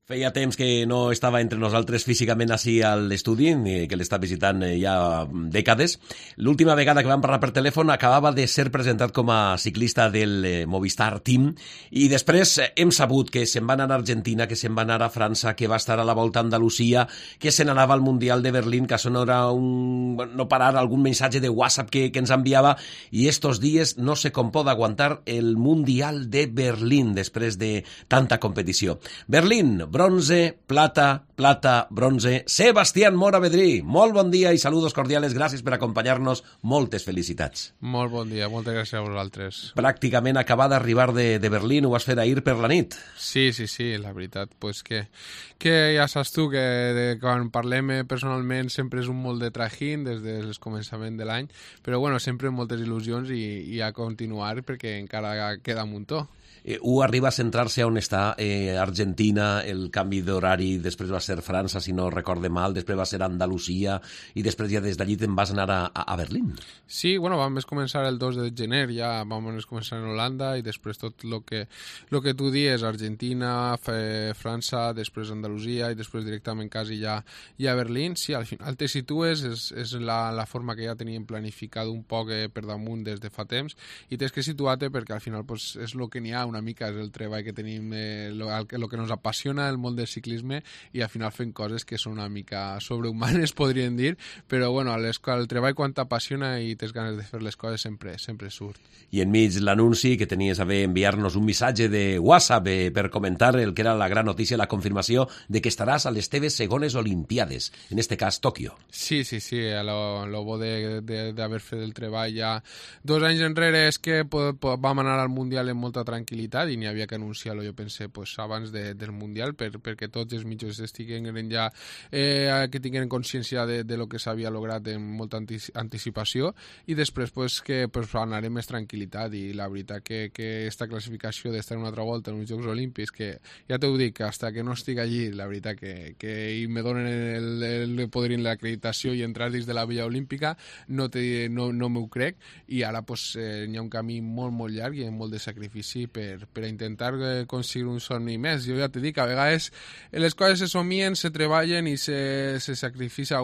Feia temps que no estava entre nosaltres físicament així a l'estudi, que l'està visitant ja dècades. L'última vegada que vam parlar per telèfon acabava de ser presentat com a ciclista del Movistar Team i després hem sabut que se'n va anar a Argentina, que se'n va anar a França, que va estar a la Volta a Andalusia, que se n'anava al Mundial de Berlín, que això no era no parar algun missatge de WhatsApp que ens enviava, i estos dies no sé com pot aguantar el Mundial de Berlín després de tanta competició. Berlín, bronce, plata, bronce. Sebastián Mora Vedrí, molt bon dia i saludos cordiales, gràcies per acompanyar-nos, moltes felicitats. Molt bon dia, moltes gràcies a vosaltres. Pràcticament acabar d'arribar de Berlín, ho vas fer ahir per la nit. Sí, la veritat, pues que ja saps tu que quan parlem personalment sempre és un molt de trajín des del començament de l'any, però bueno, sempre moltes il·lusions i a continuar perquè encara queda un muntó. Arriba a centrar-se on està Argentina, el canvi d'horari, després va ser França, si no recorde mal, després va ser Andalusia, i després ja des d'allí te'n vas anar a Berlín. Sí, bueno, vam començar el 2 de gener, ja vam començar en Holanda, i després tot lo que tu dius, Argentina, França, després Andalusia, i després directament quasi ja a Berlín. Sí, al final te situes, és la forma que ja teníem planificat un poc per damunt des de fa temps, i tens que situar-te perquè al final pues, és el que n'hi ha una mica, és el treball que tenim, el que ens apassiona el món del ciclisme, i al final fem coses que són una mica sobrehumanes, podríem dir, però bueno, el treball quan t'apassiona i tens ganes de fer les coses sempre surt. I enmig l'anunci que tenies a bé enviar-nos un missatge de WhatsApp per comentar el que era la gran notícia, la confirmació de que estaràs a les teves segones Olimpiades, en este cas Tòquio. Sí, lo bo d'haver fet el treball ja 2 anys enrere és que vam anar al Mundial en molta tranquil·litat i n'hi havia que anunciar-lo, jo pense, pues, abans del Mundial perquè tots els mitjans estiguen ja que tinguin consciència de lo que s'havia lograt en molta anticipació, i després pues, que pues, anarem més tranquil·litat, i la veritat que esta classificació d'estar una altra volta en uns Jocs Olímpics, que ja t'ho dic, hasta que no estic allí, la veritat que me donen el poder l'acreditació i entrar dins de la Villa Olímpica, no m'ho crec, i ara pues, hi ha un camí molt llarg i molt de sacrifici per a intentar aconseguir un somni més. Jo ja t'he dit que a vegades les coses se somien, se treballen i se sacrifica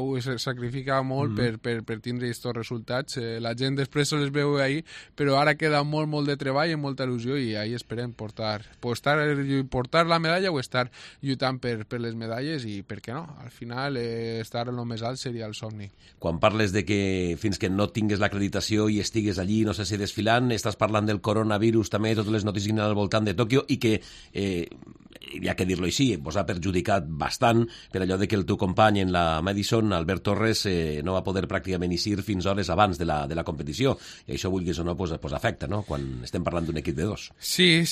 molt per tindre aquests resultats. La gent després se les veu ahir, però ara queda molt de treball i molta il·lusió, i ahir esperem portar la medalla o estar lluitant per les medalles, i per què no? Al final estar en el més alt seria el somni. Quan parles de que fins que no tingues l'acreditació i estigues allí, no sé si desfilant, estàs parlant del coronavirus també, totes les notícies al voltant de Tòquio, i que, hi ha que dir-lo així, vos ha perjudicat bastant per allò de que el teu company en la Madison, Albert Torres, no va poder pràcticament eixir fins hores abans de la competició, i això, vulguis o no, pues afecta, no?, quan estem parlant d'un equip de 2. Sí,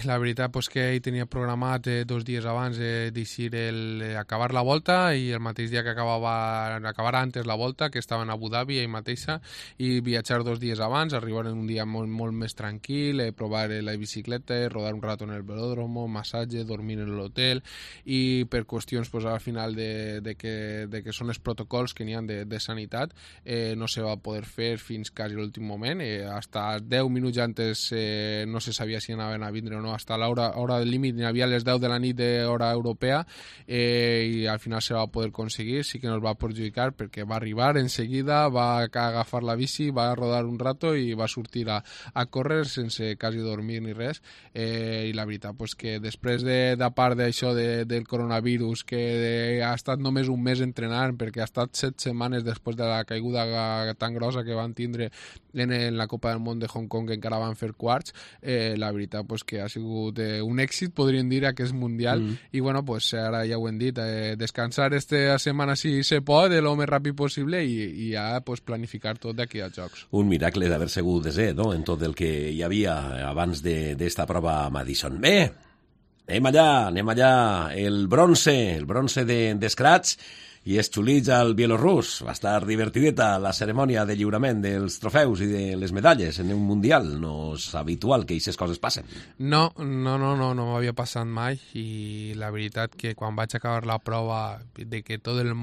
la veritat pues, que ell tenia programat 2 dies abans d'eixir acabar la volta, i el mateix dia que acabar antes la volta, que estaven a Abu Dhabi ell mateixa, i viatjar 2 dies abans, arribar en un dia molt més tranquil, provar la bicicleta, rodar un rato en el velódromo, massatge, dormir en l'hotel, i per qüestions pues, al final de que són els protocols que n'hi ha de sanitat, no se va poder fer fins quasi l'últim moment, hasta 10 minuts antes no se sabia si anaven a vindre o no, hasta l'hora del límit n'hi havia les 10 de la nit d'hora europea, i al final se va poder aconseguir. Sí que nos va perjudicar perquè va arribar en seguida, va agafar la bici, va rodar un rato i va sortir a córrer sense quasi dormir ni res, i la veritat pues, que després de part d'això del coronavirus, que ha estat només un mes entrenant, perquè ha estat 7 setmanes després de la caiguda tan grossa que van tindre en la Copa del Món de Hong Kong, que encara van fer quarts, la veritat pues, que ha sigut un èxit, podríem dir, aquest Mundial, i bueno, pues, ara ja ho hem dit, descansar esta setmana si se pot, lo més ràpid possible, i ja pues, planificar tot d'aquí als Jocs. Un miracle d'haver sigut desè, no?, en tot el que hi havia abans d'esta prova a Madison. Bé, anem allà, el bronce d'Scratch, i es xulits al bielorrus. Va estar divertideta la cerimònia de lliurament dels trofeus i de les medalles en un mundial. No és habitual que aquestes coses passen. No m'havia passat mai, i la veritat que quan vaig acabar la prova de que tot el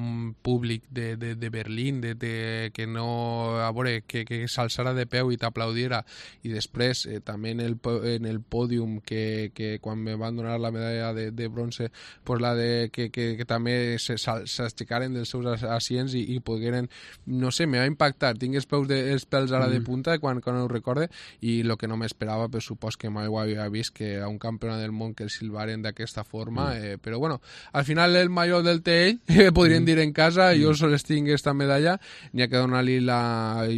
públic de Berlín, que no, a veure, que s'alçara de peu i t'aplaudiera, i després també en el pòdium que quan me van donar la medalla de bronze, pues la de que també s'aixecaren dels seus asients i pogueren, no sé, me va impactar. Tinc els pèls ara de punta quan ho recorde, i el que no m'esperava, per supost que mai ho havia vist, que a un campionat del món que el silvaren d'aquesta forma, però bueno, al final el major del té ell, podríem dir en casa, jo sols tinc esta medalla, n'hi ha que donar-li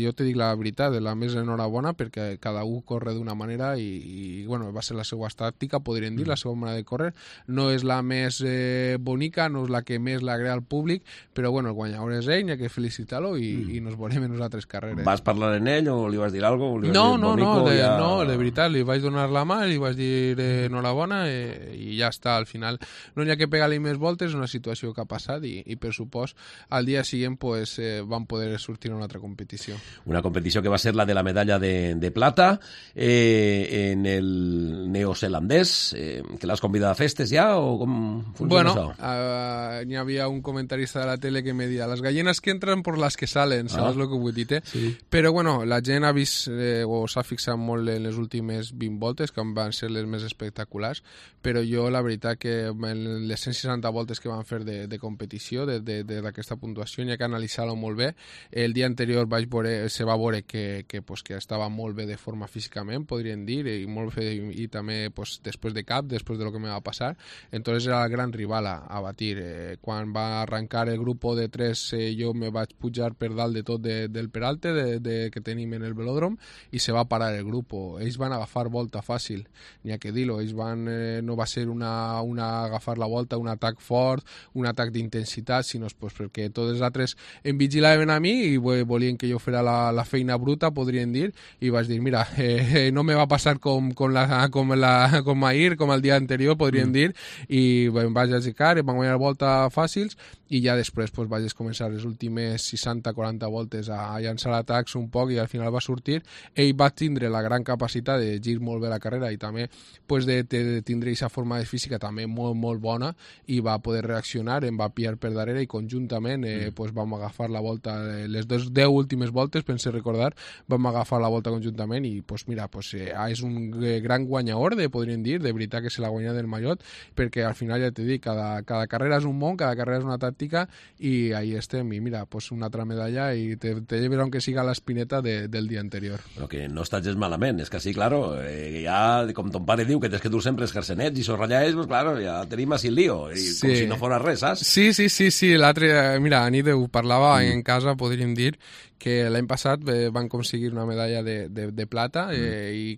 jo te dic la veritat, la més enhorabona, perquè cada un corre d'una manera i bueno, va ser la seva tàctica, podríem dir, la seva manera de córrer. No és la més bonica, no és la que més l'agrada al públic, però bueno, el guanyador és ell, n'hi ha que felicitar-lo i nos veurem en les altres carreres. Vas parlar en ell o li vas dir alguna cosa? No, de veritat, li vaig donar la mà, li vaig dir enhorabona i ja està, al final no n'hi ha que pegar-li més voltes, és una situació que ha passat i per supost, al dia següent pues, van poder sortir a una altra competició. Una competició que va ser la de la medalla de plata en el neozelandès, que l'has convidat a festes ja o com funciona això? N'hi havia un comentarista de la tele que me deia, les gallinas que entran por las que salen, saps el que vull dir? Sí. Però bueno, la gent ha vist o s'ha fixat molt en les últimes 20 voltes, que van ser les més espectaculars, però jo la veritat que en les 160 voltes que van fer de competició, d'aquesta puntuació, n'hi ha que analitzar-ho molt bé. El dia anterior se va veure que estava molt bé de forma físicament, podríem dir, i molt bé, i també pues, després de cap, després de lo que me va passar. Entonces era el gran rival a batir. Quan va arrencar el grup de 3, jo me vaig pujar per dalt de tot del peralte que tenim en el velòdrom, i se va parar el grup. Ells van agafar volta fàcil, n'hi ha que dir-ho. Ells no va ser una agafar la volta, un atac fort, un atac d'intensitat, sinó pues, perquè tots els altres em vigilaven a mi i volien que jo fera la feina bruta, podríem dir, i vaig dir, mira, no me va passar com ahir, com el dia anterior, podríem dir, i em vaig aixecar, em van guanyar volta fàcils, i ja després pues, vaig començar les últimes 60-40 voltes a llançar atacs un poc, i al final va sortir. Ell va tindre la gran capacitat de gir molt bé la carrera i també pues, de tindre aquesta forma de física també molt, molt bona, i va poder reaccionar, em va pillar per darrere i conjuntament pues, vam agafar la volta, les 10 últimes voltes, pense recordar, vam agafar la volta conjuntament i pues, mira, pues, és un gran guanyador, podríem dir, de veritat que se l'ha guanyat del mallot, perquè al final ja t'he dit, cada carrera és un món, cada carrera és una tàctica, i ahí estem, i mira, pues, una altra medalla i te lleves aunque siga l'espineta del dia anterior. Però que no estàs gens malament, és que sí, claro, ja, com ton pare diu, que tens que dur sempre els jersenets i esos ratllets, pues claro, ja tenim així el lío, i sí. Com si no fora res, saps? Sí, l'altre, mira, Anit ho parlava en casa, podríem dir, que l'any passat van aconseguir una medalla de plata i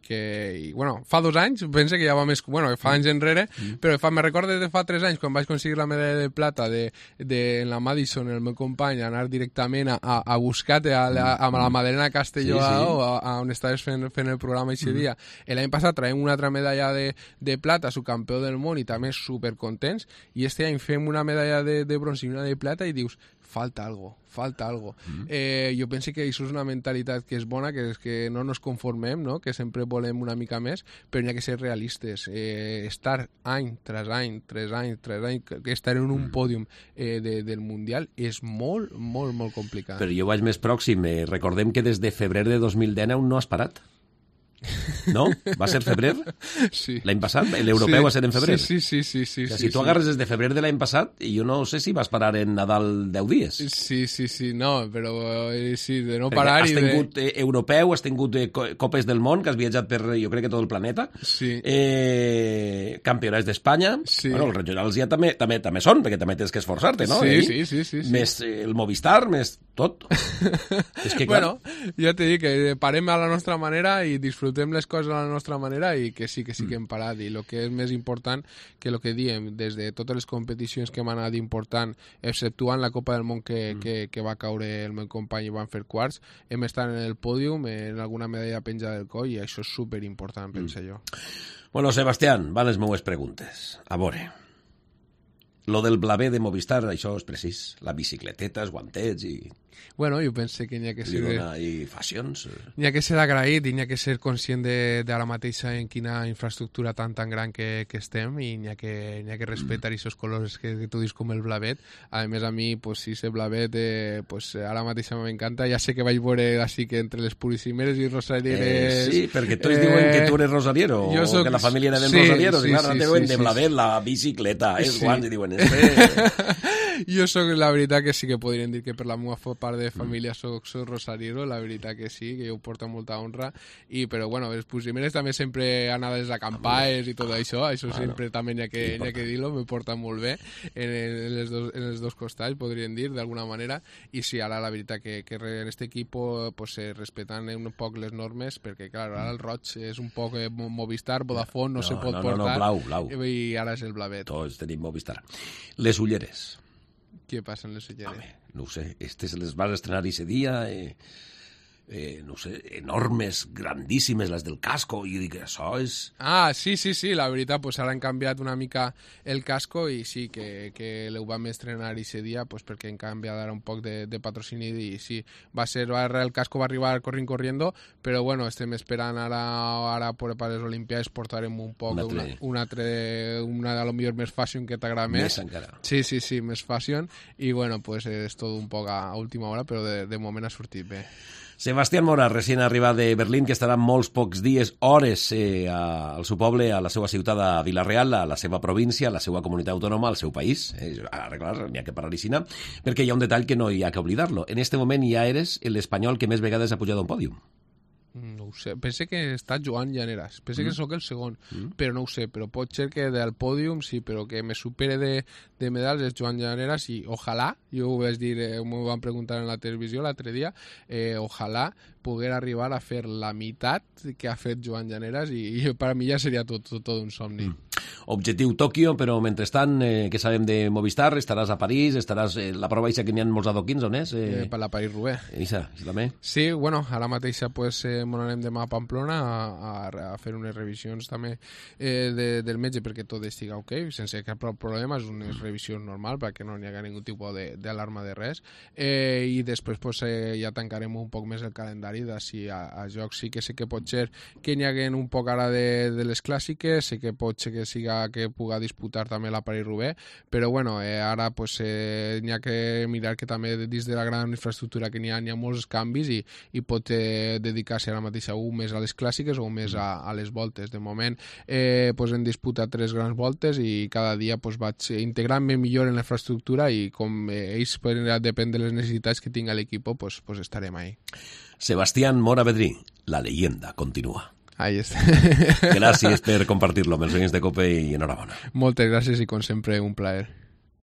bueno, fa 2 anys, pense que ja va més, bueno, fa anys enrere, però me recordo de fa 3 anys quan vaig aconseguir la medalla de plata en la Madison, el meu company, anar directament a buscar-te a la Madalena Castelló, on estaves fent el programa aquest dia. L'any passat traiem una altra medalla de plata, subcampió del món, i també supercontents, i este any fem una medalla de bronze i una de plata i dius, falta algo. Jo penso que això és una mentalitat que és bona, que és que no nos conformem, no? Que sempre volem una mica més, però n'hi ha que ser realistes. Estar any tras any, 3 anys, estar en un pòdium del Mundial és molt, molt, molt complicat. Però jo vaig més pròxim. Recordem que des de febrer de 2019 no has parat. No? Va ser febrer? Sí. L'any passat? L'europeu va ser en febrer? Sí. Si tu agarres des de febrer de l'any passat, jo no sé si vas parar en Nadal 10 dies. Sí, no, però sí, de no parar has tingut europeu, has tingut copes del món, que has viatjat per, jo crec que tot el planeta. Sí. Campionats d'Espanya. Sí. Bueno, els regionals ja també són, perquè també tens que esforçar-te, no? Sí. Més el Movistar, més tot. És que, clar... Bueno, ja t'he dit que parem a la nostra manera i disfrutem les coses a la nostra manera, i que sí que hem parat, i el que és més important que el que diem, des de totes les competicions que hem anat important, exceptuant la Copa del Món que va caure el meu company i van fer quarts, hem estat en el pòdium, en alguna medalla penjada del coll, i això és superimportant, penso jo. Bueno, Sebastián, van les meues preguntes. A veure. Lo del blaver de Movistar, això és precís. La bicicleteta, els guantets i... Bueno, jo pense que n'hi ha que ser... I fashions. N'hi ha que ser agraït i n'hi ha que ser conscient d'ara mateixa en quina infraestructura tan gran que estem i n'hi ha que respectar aquests colors que tu dius com el blavet. A més, a mi, pues, si ese blavet, pues, ara mateixa m'encanta. Ja sé que vaig veure així que entre les puricimeres i rosarieres... Sí, perquè tots diuen que tu eres rosariero, o que la família era ben rosarieros, i clar, diuen de blavet la bicicleta, els guants, i diuen... Jo soc, la veritat que sí que podrien dir que per la meva part de família soc rosariero, la veritat que sí, que jo ho porto molta honra, però bueno, les puricimeres també sempre anades a campanyes i tot això sempre també n'hi ha que dir-lo, me porta molt bé en els dos costats, podríem dir, d'alguna manera, i sí, ara la veritat que en aquest equip pues, respetant un poc les normes, perquè clar, ara el roig és un poc Movistar, Vodafone, no se pot portar, blau. I ara és el blavet. Tots tenim Movistar. Les ulleres. Què passa amb les ulleres? Home, no ho sé, les vas estrenar ese dia, no sé, enormes, grandíssimes, les del casco, i dic, això és... Ah, sí, la veritat, pues ara han canviat una mica el casco i sí, que ho vam estrenar ese dia, pues perquè han canviat ara un poc de patrocini i sí, el casco va arribar corriendo, però bueno, estem esperant ara per les Olimpiades portarem un poc una a lo millor més fashion que t'agrada més. Més encara. Sí, més fashion i bueno, pues és tot un poc a última hora, però de moment ha sortit bé. Sebastián Mora, recient arribat de Berlín, que estarà molts pocs dies, hores al seu poble, a la seva ciutat de Vila-real, a la seva província, a la seva comunitat autònoma, al seu país. Ara, clar, n'hi ha que parlar així, perquè hi ha un detall que no hi ha que oblidar-lo. En este moment ja eres l'espanyol que més vegades ha pujat a un pòdium. No ho sé, pense que està Joan Llaneras, pense que sóc el segon, però no ho sé, però pot ser que del pòdium sí, però que me supere de medals és Joan Llaneras i ojalà, jo ho vaig dir, m'ho van preguntar en la televisió l'altre dia, ojalà poder arribar a fer la meitat que ha fet Joan Llaneras i per a mi ja seria tot un somni. Objectiu Tòquio, però mentrestant, què sabem de Movistar? Estaràs a París, la prova eixa que n'hi ha molts adoquins, on és? Per la París-Roubaix. Eixa també? Sí, bueno, ara mateixa pues, m'on anem demà a Pamplona a fer unes revisions també del metge perquè tot estigui ok, sense cap problema, és una revisió normal perquè no n'hi ha ningú tipus d'alarma de res, i després pues, ja tancarem un poc més el calendari d'ací a jocs. Sí que sé que pot ser que n'hi haguen un poc ara de les clàssiques, sé que pot ser que siga que puga disputar també la París-Roubaix, però bueno, ara pues, n'hi ha que mirar que també dins de la gran infraestructura que n'hi ha molts canvis i pot dedicar-se ara mateix un més a les clàssiques o més a les voltes. De moment pues, hem disputat 3 grans voltes i cada dia pues, vaig integrant-me millor en la infraestructura i com ells depèn de les necessitats que tinga l'equip, pues estarem ahí. Sebastián Mora Bedrí, la leyenda continua. Ahí està. Gràcies per compartir-lo amb els oients de COPE i enhorabona. Moltes gràcies i com sempre un plaer.